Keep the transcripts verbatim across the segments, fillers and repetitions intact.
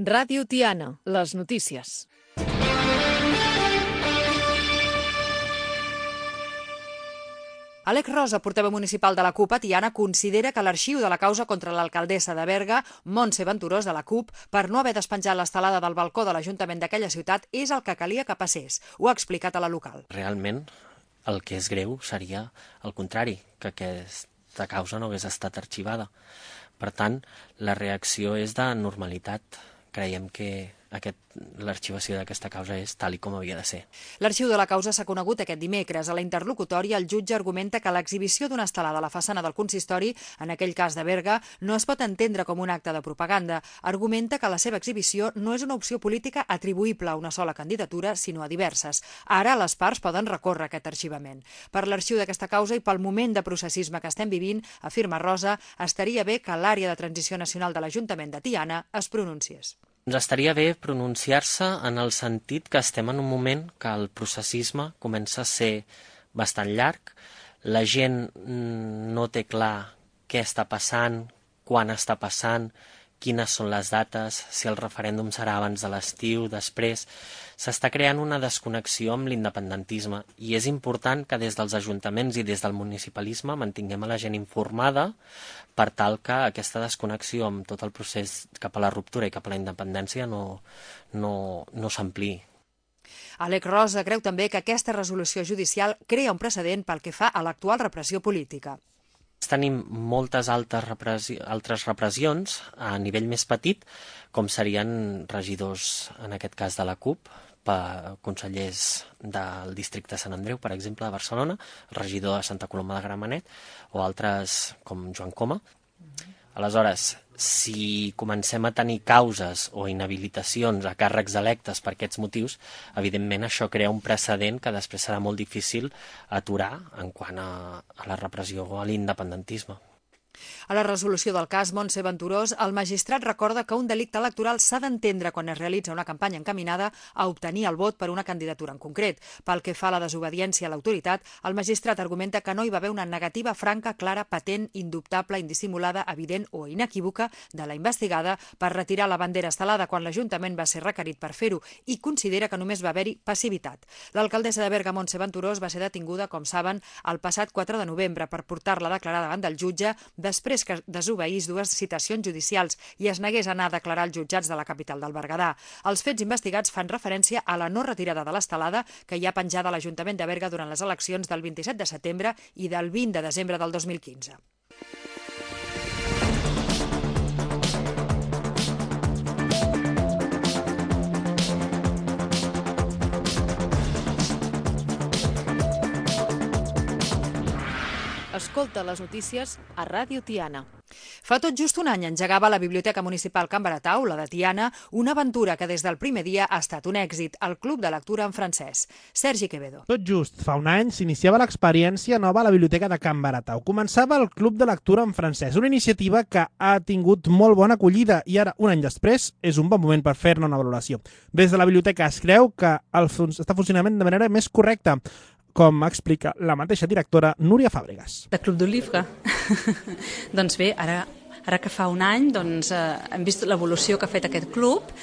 Ràdio Tiana, les notícies. Alec Rosa, portaveu municipal de la CUP a Tiana, considera que l'arxiu de la causa contra l'alcaldessa de Berga, Montse Venturós, de la CUP, per no haver despenjat l'estelada del balcó de l'Ajuntament d'aquella ciutat, és el que calia que passés. Ho ha explicat a la local. Realment, el que és greu seria el contrari, que aquesta causa no hagués estat arxivada. Per tant, la reacció és de normalitat. Creiem que aquest, l'arxivació d'aquesta causa és tal i com havia de ser. L'arxiu de la causa s'ha conegut aquest dimecres. A la interlocutòria, el jutge argumenta que l'exhibició d'una estelada a la façana del consistori, en aquell cas de Berga, no es pot entendre com un acte de propaganda. Argumenta que la seva exhibició no és una opció política atribuïble a una sola candidatura, sinó a diverses. Ara les parts poden recórrer aquest arxivament. Per l'arxiu d'aquesta causa i pel moment de processisme que estem vivint, afirma Rosa, estaria bé que l'àrea de transició nacional de l'Ajuntament de Tiana es pronunciés. Ens estaria bé pronunciar-se en el sentit que estem en un moment que el processisme comença a ser bastant llarg, la gent no té clar què està passant, quan està passant, quines són les dates, si el referèndum serà abans de l'estiu, després. S'està creant una desconnexió amb l'independentisme i és important que des dels ajuntaments i des del municipalisme mantinguem a la gent informada per tal que aquesta desconnexió amb tot el procés cap a la ruptura i cap a la independència no, no, no s'ampliï. Alec Rosa creu també que aquesta resolució judicial crea un precedent pel que fa a l'actual repressió política. Tenim moltes altres, repressi altres repressions a nivell més petit, com serien regidors, en aquest cas de la CUP, per consellers del districte de Sant Andreu, per exemple, de Barcelona, regidor de Santa Coloma de Gramenet, o altres com Joan Coma. Aleshores, si comencem a tenir causes o inhabilitacions a càrrecs electes per aquests motius, evidentment això crea un precedent que després serà molt difícil aturar en quant a, a la repressió o a l'independentisme. A la resolució del cas Montse Venturós, el magistrat recorda que un delicte electoral s'ha d'entendre quan es realitza una campanya encaminada a obtenir el vot per una candidatura en concret. Pel que fa a la desobediència a l'autoritat, el magistrat argumenta que no hi va haver una negativa franca, clara, patent, indubtable, indissimulada, evident o inequívoca de la investigada per retirar la bandera estelada quan l'Ajuntament va ser requerit per fer-ho i considera que només va haver-hi passivitat. L'alcaldessa de Berga, Montse Venturós, va ser detinguda, com saben, el passat quatre de novembre per portar-la a declarar davant del jutge després que desobeís dues citacions judicials i es negués a anar a declarar als jutjats de la capital del Berguedà. Els fets investigats fan referència a la no retirada de l'estelada que hi ha penjada a l'Ajuntament de Berga durant les eleccions del vint-i-set de setembre i del vint de desembre del dos mil quinze. Escolta les notícies a Ràdio Tiana. Fa tot just un any engegava la Biblioteca Municipal Can Baratau, la de Tiana, una aventura que des del primer dia ha estat un èxit, el Club de Lectura en francès. Sergi Quevedo. Tot just fa un any s'iniciava l'experiència nova a la Biblioteca de Can Baratau. Començava el Club de Lectura en francès, una iniciativa que ha tingut molt bona acollida i ara, un any després, és un bon moment per fer-ne una valoració. Des de la biblioteca es creu que el fun- està funcionament de manera més correcta, com explica la mateixa directora Núria Fàbregas. De Club du Livre. Doncs bé, ara, ara que fa un any doncs, eh, hem vist l'evolució que ha fet aquest club.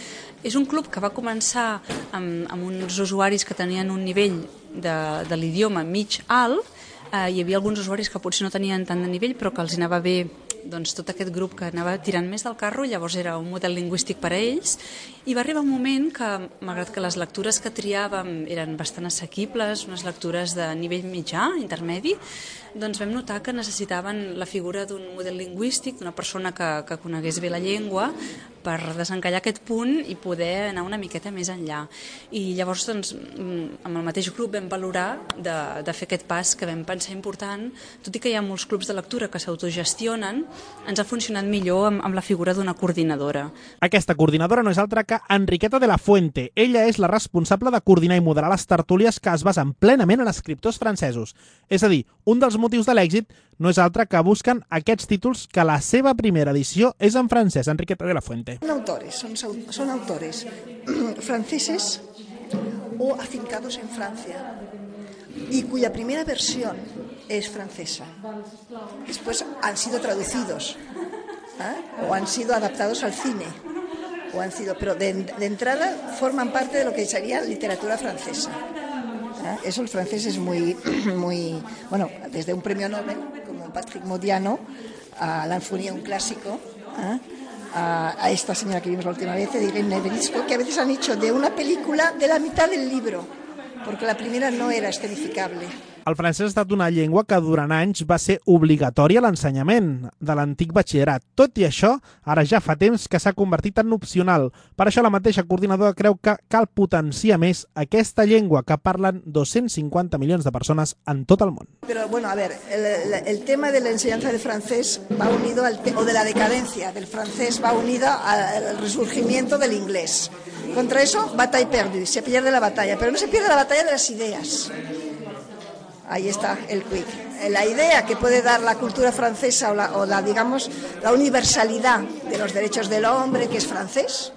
És un club que va començar amb, amb uns usuaris que tenien un nivell de, de l'idioma mig-alt. Eh, hi havia alguns usuaris que potser no tenien tant de nivell, però que els anava bé doncs, tot aquest grup que anava tirant més del carro, llavors era un model lingüístic per a ells, i va arribar un moment que, malgrat que les lectures que triàvem eren bastant assequibles, unes lectures de nivell mitjà, intermedi, doncs vam notar que necessitaven la figura d'un model lingüístic, d'una persona que, que conegués bé la llengua, per desencallar aquest punt i poder anar una miqueta més enllà. I llavors, doncs, amb el mateix grup vam valorar de, de fer aquest pas que vam pensar important, tot i que hi ha molts clubs de lectura que s'autogestionen, ens ha funcionat millor amb, amb la figura d'una coordinadora. Aquesta coordinadora no és altra que Enriqueta de la Fuente. Ella és la responsable de coordinar i moderar les tertúlies que es basen plenament en escriptors francesos. És a dir, un dels motius de l'èxit no és altre que busquen aquests títols que la seva primera edició és en francès. Enriqueta de la Fuente. Son autores, son, son autores franceses o afincados en Francia y cuya primera versión es francesa. Después han sido traducidos, ¿eh? O han sido adaptados al cine o han sido, pero de, de entrada forman parte de lo que sería literatura francesa. ¿Eh? Eso el francés es muy, muy, bueno, desde un premio Nobel, como Patrick Modiano, a La Infonia, un clásico, ¿eh? a, a esta señora que vimos la última vez, de Irene Neverisco, que a veces han hecho de una película de la mitad del libro, porque la primera no era escenificable. El francès ha estat una llengua que durant anys va ser obligatòria a l'ensenyament de l'antic batxillerat. Tot i això, ara ja fa temps que s'ha convertit en opcional. Per això la mateixa coordinadora creu que cal potenciar més aquesta llengua que parlen dos-cents cinquanta milions de persones en tot el món. Pero bueno, a ver, el, el tema de la enseñanza del francés va unido, al te- o de la decadencia del francés va unido al resurgimiento del inglés. Contra eso, batalla perdida, se pierde la batalla, pero no se pierde la batalla de las ideas. Ahí está el quick. La idea que puede dar la cultura francesa o la, o la digamos, la universalidad de los derechos del hombre, que es francés,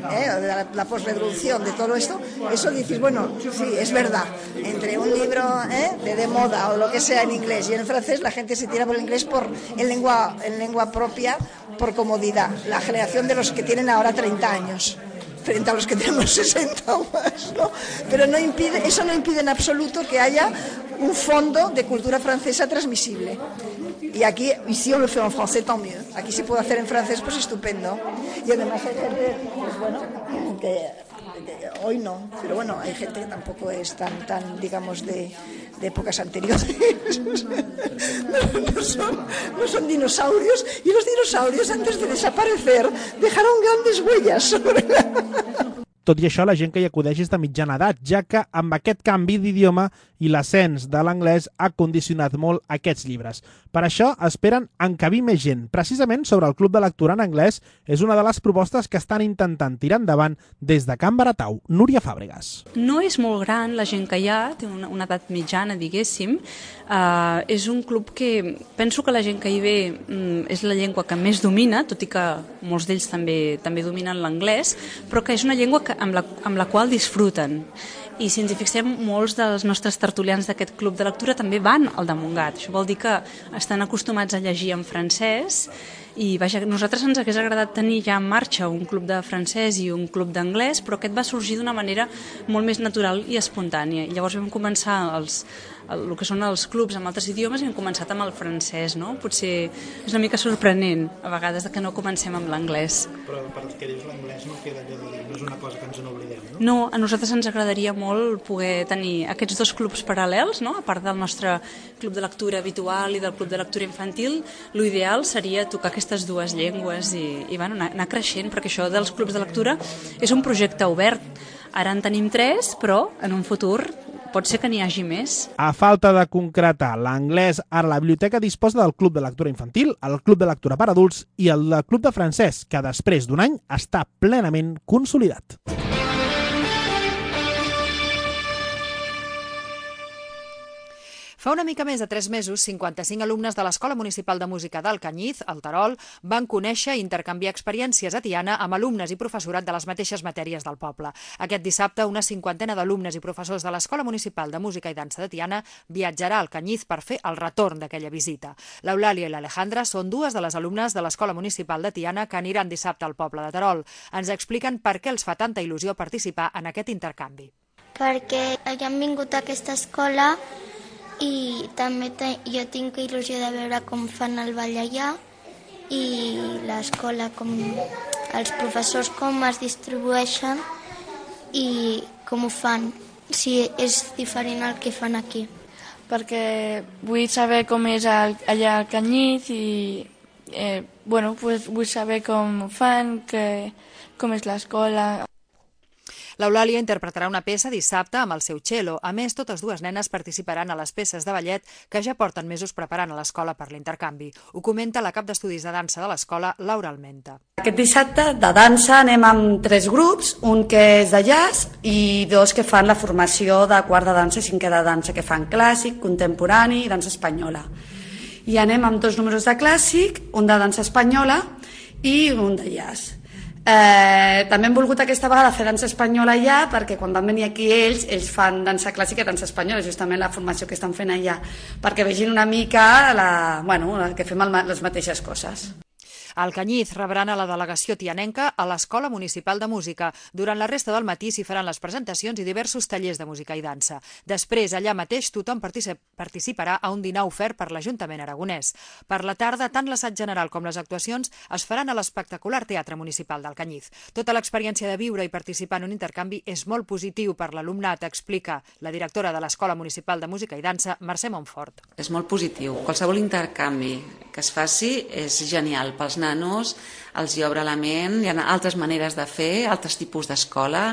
¿eh? O de la, la posrevolución de todo esto, eso dices, bueno, sí, es verdad. Entre un libro ¿eh? de, de moda o lo que sea en inglés y en francés, la gente se tira por el inglés por, en, lengua, en lengua propia, por comodidad. La generación de los que tienen ahora treinta años. Frente a los que tenemos sesenta o más, ¿no? Pero no impide, eso no impide en absoluto que haya un fondo de cultura francesa transmisible. Y aquí, y si on le fait en français, tant mieux. Aquí se puede hacer en francés, pues estupendo. Y además hay gente, pues bueno, que, que hoy no, pero bueno, hay gente que tampoco es tan, tan digamos, de, de épocas anteriores. No, no, son, no son dinosaurios, y los dinosaurios, antes de desaparecer, dejaron grandes huellas sobre la... Tot i això, la gent que hi acudeix és de mitjana edat, ja que amb aquest canvi d'idioma i l'ascens de l'anglès ha condicionat molt aquests llibres. Per això esperen encabir més gent. Precisament sobre el Club de Lectura en anglès és una de les propostes que estan intentant tirar endavant des de Can Baratau. Núria Fàbregas. No és molt gran la gent que hi ha, té una, una edat mitjana, diguéssim. Uh, és un club que penso que la gent que hi ve um, és la llengua que més domina, tot i que molts d'ells també, també dominen l'anglès, però que és una llengua que, amb, la, amb la qual disfruten. I si ens hi fixem, molts dels nostres tertulians d'aquest club de lectura també van al de Montgat. Això vol dir que estan acostumats a llegir en francès i vaja, a nosaltres ens hagués agradat tenir ja en marxa un club de francès i un club d'anglès, però aquest va sorgir d'una manera molt més natural i espontània. I llavors vam començar els, el, el que són els clubs amb altres idiomes i hem començat amb el francès, no? Potser és una mica sorprenent a vegades que no comencem amb l'anglès. Però per que dius l'anglès no queda allò de dir, no és una cosa que ens n'oblidem, no? No, a nosaltres ens agradaria molt poder tenir aquests dos clubs paral·lels, no? A part del nostre club de lectura habitual i del club de lectura infantil, l'ideal seria tocar aquestes dues llengües i, i bueno, anar, anar creixent, perquè això dels clubs de lectura és un projecte obert. Ara en tenim tres, però en un futur pot ser que n'hi hagi més. A falta de concretar l'anglès, ara la biblioteca disposa del Club de Lectura Infantil, el Club de Lectura per Adults i el Club de Francès, que després d'un any està plenament consolidat. Fa una mica més de tres mesos, cinquanta-cinc alumnes de l'Escola Municipal de Música d'Alcanyís, al Terol, van conèixer i intercanviar experiències a Tiana amb alumnes i professorat de les mateixes matèries del poble. Aquest dissabte, una cinquantena d'alumnes i professors de l'Escola Municipal de Música i Dansa de Tiana viatjarà a Alcanyís per fer el retorn d'aquella visita. L'Eulàlia i l'Alejandra són dues de les alumnes de l'Escola Municipal de Tiana que aniran dissabte al poble de Terol. Ens expliquen per què els fa tanta il·lusió participar en aquest intercanvi. Perquè hem vingut a aquesta escola i també te, jo tinc il·lusió de veure com fan el ball allà i l'escola, com els professors com es distribueixen i com ho fan, si és diferent al que fan aquí. Perquè vull saber com és el, allà al Canyís i eh, bueno, pues vull saber com ho fan, que, com és l'escola. L'Eulàlia interpretarà una peça dissabte amb el seu cello. A més, totes dues nenes participaran a les peces de ballet que ja porten mesos preparant a l'escola per l'intercanvi. Ho comenta la cap d'estudis de dansa de l'escola, Laura Almenta. Aquest dissabte de dansa anem amb tres grups, un que és de jazz i dos que fan la formació de quart de dansa i cinquè de dansa, que fan clàssic, contemporani i dansa espanyola. I anem amb dos números de clàssic, un de dansa espanyola i un de jazz. Eh, també hem volgut aquesta vegada fer dansa espanyola allà perquè quan van venir aquí ells, ells fan dansa clàssica i dansa espanyola, justament la formació que estan fent allà, perquè vegin una mica la, bueno, que fem el, les mateixes coses. Al Canyís rebran a la delegació tianenca a l'Escola Municipal de Música. Durant la resta del matí s'hi faran les presentacions i diversos tallers de música i dansa. Després, allà mateix, tothom participarà a un dinar ofert per l'Ajuntament aragonès. Per la tarda, tant l'assaig general com les actuacions es faran a l'espectacular Teatre Municipal del Canyís. Tota l'experiència de viure i participar en un intercanvi és molt positiu per l'alumnat, explica la directora de l'Escola Municipal de Música i Dansa, Mercè Montfort. És molt positiu. Qualsevol intercanvi que es faci és genial. Pels nanos els hi obre la ment, hi ha altres maneres de fer, altres tipus d'escola,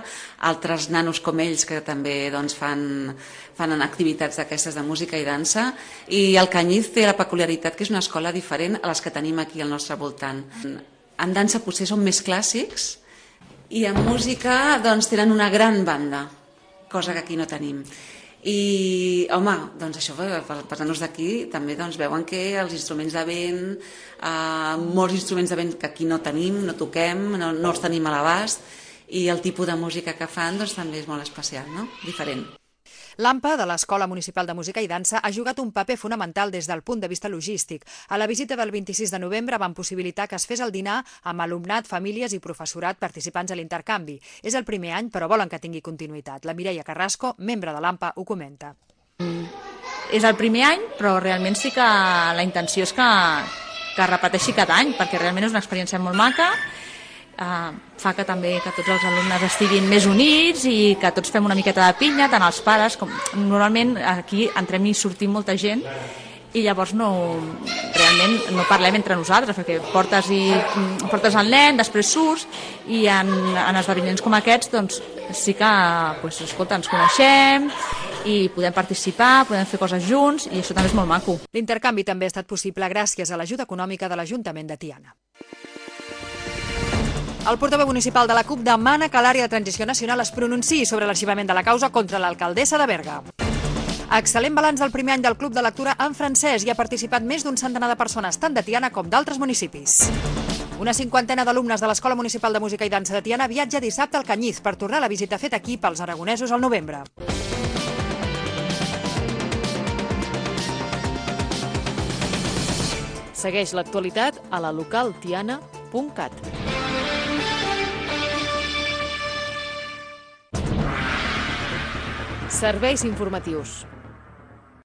altres nanos com ells que també doncs, fan, fan activitats d'aquestes de música i dansa, i el Canyís té la peculiaritat que és una escola diferent a les que tenim aquí al nostre voltant. En dansa potser són més clàssics i en música doncs, tenen una gran banda, cosa que aquí no tenim. I, home, doncs això, pels nanos d'aquí també doncs, veuen que els instruments de vent, eh, molts instruments de vent que aquí no tenim, no toquem, no, no els tenim a l'abast, i el tipus de música que fan doncs, també és molt especial, no? Diferent. L'A M P A de l'Escola Municipal de Música i Dansa ha jugat un paper fonamental des del punt de vista logístic. A la visita del vint-i-sis de novembre van possibilitar que es fes el dinar amb alumnat, famílies i professorat participants a l'intercanvi. És el primer any, però volen que tingui continuïtat. La Mireia Carrasco, membre de l'A M P A, ho comenta. Mm. És el primer any, però realment sí que la intenció és que, que es repeteixi cada any, perquè realment és una experiència molt maca. Uh, fa que també que tots els alumnes estiguin més units i que tots fem una miqueta de pinya, tant els pares com... Normalment aquí entrem i sortim molta gent i llavors no, realment no parlem entre nosaltres, perquè portes, i, portes el nen, després surts, i en, en esdeveniments com aquests doncs, sí que pues, escolta, ens coneixem i podem participar, podem fer coses junts, i això també és molt maco. L'intercanvi també ha estat possible gràcies a l'ajuda econòmica de l'Ajuntament de Tiana. El portaveu municipal de la CUP demana que l'àrea de transició nacional es pronunciï sobre l'arxivament de la causa contra l'alcaldessa de Berga. Excel·lent balanç del primer any del Club de Lectura en francès. Hi ha participat més d'un centenar de persones, tant de Tiana com d'altres municipis. Una cinquantena d'alumnes de l'Escola Municipal de Música i Dansa de Tiana viatja dissabte al Canyís per tornar a la visita feta aquí pels aragonesos al novembre. Segueix l'actualitat a la local tiana punt cat. Serveis informatius.